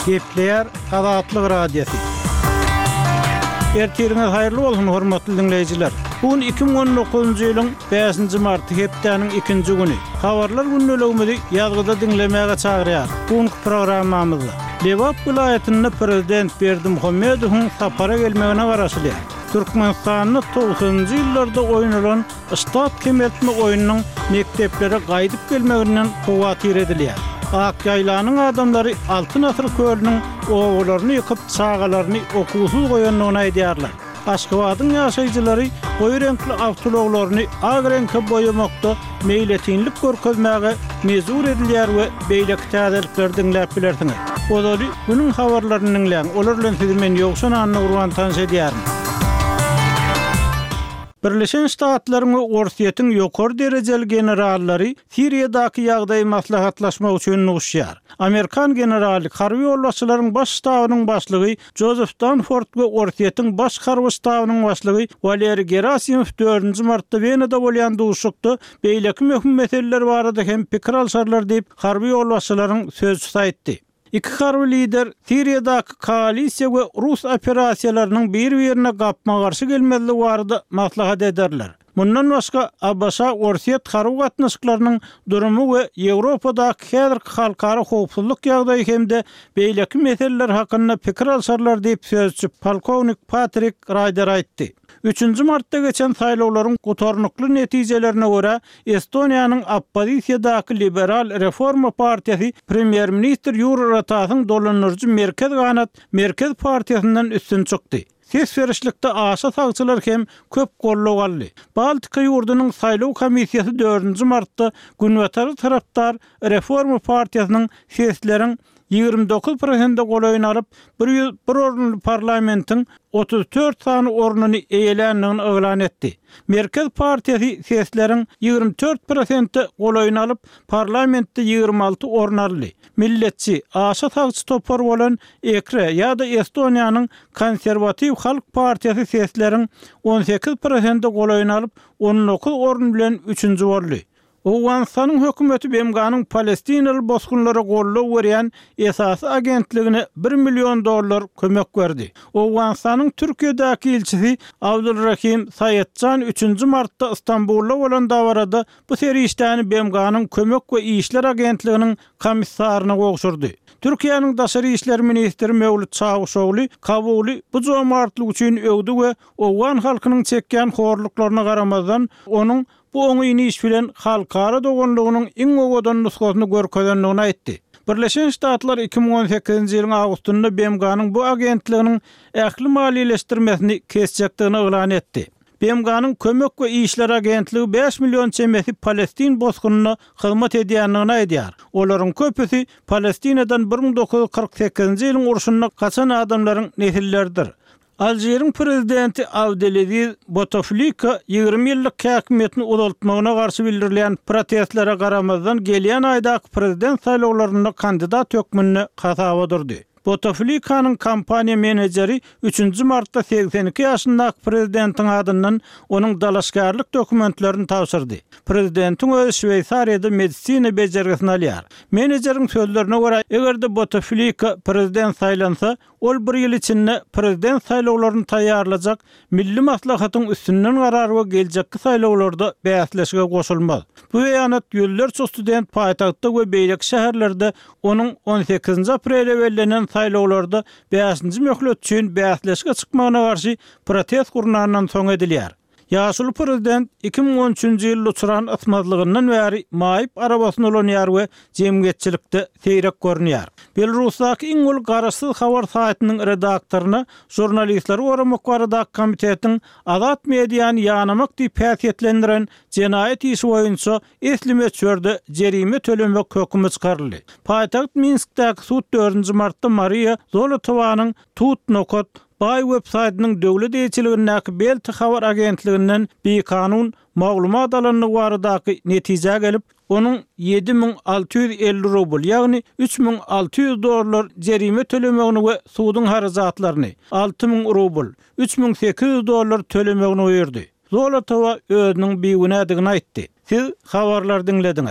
Gepleýär Azatlyk Radiosy. Ertiriňiz haýyrly bolsun, hormatly diňleýjiler! Bu gün 2019-njy ýylyň bäşinji marty, hepdäniň ikinji güni. Habarlar gündeligimizi ýazgyda diňlemäge çagyrýarys. Bu günki programmamyzda Lebap welaýatynda prezident Berdimuhamedowyň sapara gelmegine garaşylýar. Türkmenistanda togsanynjy ýyllarda oýnalan Ştat kemeltme oýnunyň mekdeplere gaýdyp gelmeginden howatyr edilýär. Ak ýaýlanyň adamlary Altyn asyr kölüniň obalaryny ýykyp, çagalaryny okuwsyz goýandygyny aýdýarlar. Aşgabadyň ýaşaýjylary goýy reňkli awtoulaglaryny ak reňke boýamakda meýletinlik görkezmäge mejbur edilýär we beýleki täzelikleri diňläp bilersiňiz. Ozaly günüň habarlaryny diňläň, olar bilen sizi men Ýowşan Annagurban tanyş edýärin. Birleşen Ştatlaryň we Orsýetiň ýokary derejeli generallary Siriýadaky ýagdaýy maslahatlaşmak üçin duşýar. Amerikan generaly, harby ýolbaşçylaryň baş ştabynyň başlygy Jozef Danford we Orsýetiň baş harby ştabynyň başlygy Waleriý Gerasimow dördünji martda Wenada bolýan duşuşykda beýleki möhüm meseleler barada hem pikir alşarlar diýip, harby ýolbaşçylaryň sözçüsi aýtdy. Iki harby lider Siriýadaky koalisiýa we rus operasiýalarynyň bir-birine gapma-garşy gelmezligi barada maslahat ederler. Mundan başga, ABŞ-Orsýet harby gatnaşyklarynyň durumy we Ýewropadaky häzirki halkara howpsuzlyk ýagdaýy hem-de beýleki meseleler hakynda pikir alşarlar diýip, sözçi polkownik Patrik Raýder aýtdy. Üçünji martda geçen saýlawlaryň gutarnykly netijelerine görä, Estoniýanyň oppozisiýadaky Liberal Reforma partiýasy premýer-ministr Ýuri Ratasyň dolandyryjy merkez ganat Merkez partiýasyndan üstün çykdy. Ses berişlikde aşa sagçylar hem köp goldaw aldy. Baltika ýurdunyň saýlaw komissiýasy dördünji martda Günbatara tarapdar Reforma partiýasynyň sesleriň 29 prosente golaýyny alyp, 101 orunly parlamentiň 34 sany ornuny eýeländigini yglan etdi. Merkez partiýasy sesleriň 24 prosente golaýyny alyp, parlamentde 26 orun aldy. Milletçi, aşa sagçy topar bolan EKRE ýa-da Estoniýanyň Konserwatiw halk partiýasy sesleriň 18 prosente golaýyny alyp, 19 orun bilen üçünji boldy. Owganystanyň hökümeti BMG-niň palestinaly bosgunlara goldaw berýän esasy agentligine bir million dollar kömek berdi. Owganystanyň Türkiýedäki ilçisi Abdulrahim Saýetjan üçünji martda Stambulda bolan dabarada bu serişdäni BMG-niň Kömek we işler agentliginiň komissaryna gowşurdy. Türkiýäniň daşary işler ministri Mewlüt Çawuşogly Kabuly bu jomartlyk üçin öwdi we owgan halkynyň çekýän horluklaryna garamazdan, onuň bu oňyn iş bilen halkara doganlygynyň iň owadan nusgasyny görkezendigini aýtdy. Birleşen Ştatlar 2018-nji ýylyň awgustynda BMG-niň bu agentliginiň ähli maliýeleşdirmesini kesjekdigini yglan etdi. BMG-niň Kömek we işler agentligi bäş million çemesi palestin bosgunyna hyzmat edýändigini aýdýar. Olaryň köpüsi Palestinadan 1948-nji ýylyň urşunda gaçan adamlaryň nesilleridir. Alžiriň prezidenti Abdelaziz Bouteflika 20 ýyllyk häkimiýetini uzaltmagyna garşy bildirilýän protestlere garamazdan gelýän aýdaky prezident saýlawlarynda kandidat hökmünde hasaba durdy. Bouteflikanyň kampaniýa menejeri üçünji martda 82 ýaşyndaky prezidentiň adyndan onuň dalaşgärlik dokumentlerini tabşyrdy. Prezidentiň özi Şweýsariýada medisina bejergisini alýar. Menejeriň sözlerine görä, eger-de Bouteflika prezident saýlansa, Ol bir ýyl içinde prezident saýlawlaryny taýýarlajak Milli maslahatyň üstünden garar we geljekki saýlawlarda bäsleşige goşulmaz. Bu beýanat ýüzlerçe student paýtagtda we beýleki şäherlerde onuň on sekizinji aprele bellenen saýlawlarda bäşinji möhlet üçin bäsleşige çykmagyna garşy protest gurnandan soň edilýär. Ýaşuly prezident 2013-nji ýylda uçran ysmazlygyndan bäri maýyp arabasyny ulanýar we jemgyýetçilikde seýrek görünýär. Belarusdaky iň uly garaşsyz habar saýtynyň redaktoryna Žurnalistleri goramak baradaky komitetiň azat mediany ýanamak diýip häsiýetlendiren jenaýat işi boýunça esli möçberde jerime tölemek hökümi çykaryldy. Paýtagt Minskdäki sud dördünji martda Mariýa Zolotowanyň Tut nokat Baý web-saýtynyň döwlet eýeçiligindäki Belta habar agentliginden bikanun maglumat alandygy baradaky netijä gelip, onuň 7650 rubl, ýagny 3600 dollar jerime tölemegini we suduň harajatlaryny, 6000 rubl, 3800 dollar tölemegini buýurdy. Zolotowa özüniň bigünädigini aýtdy. Siz habarlary diňlediňiz.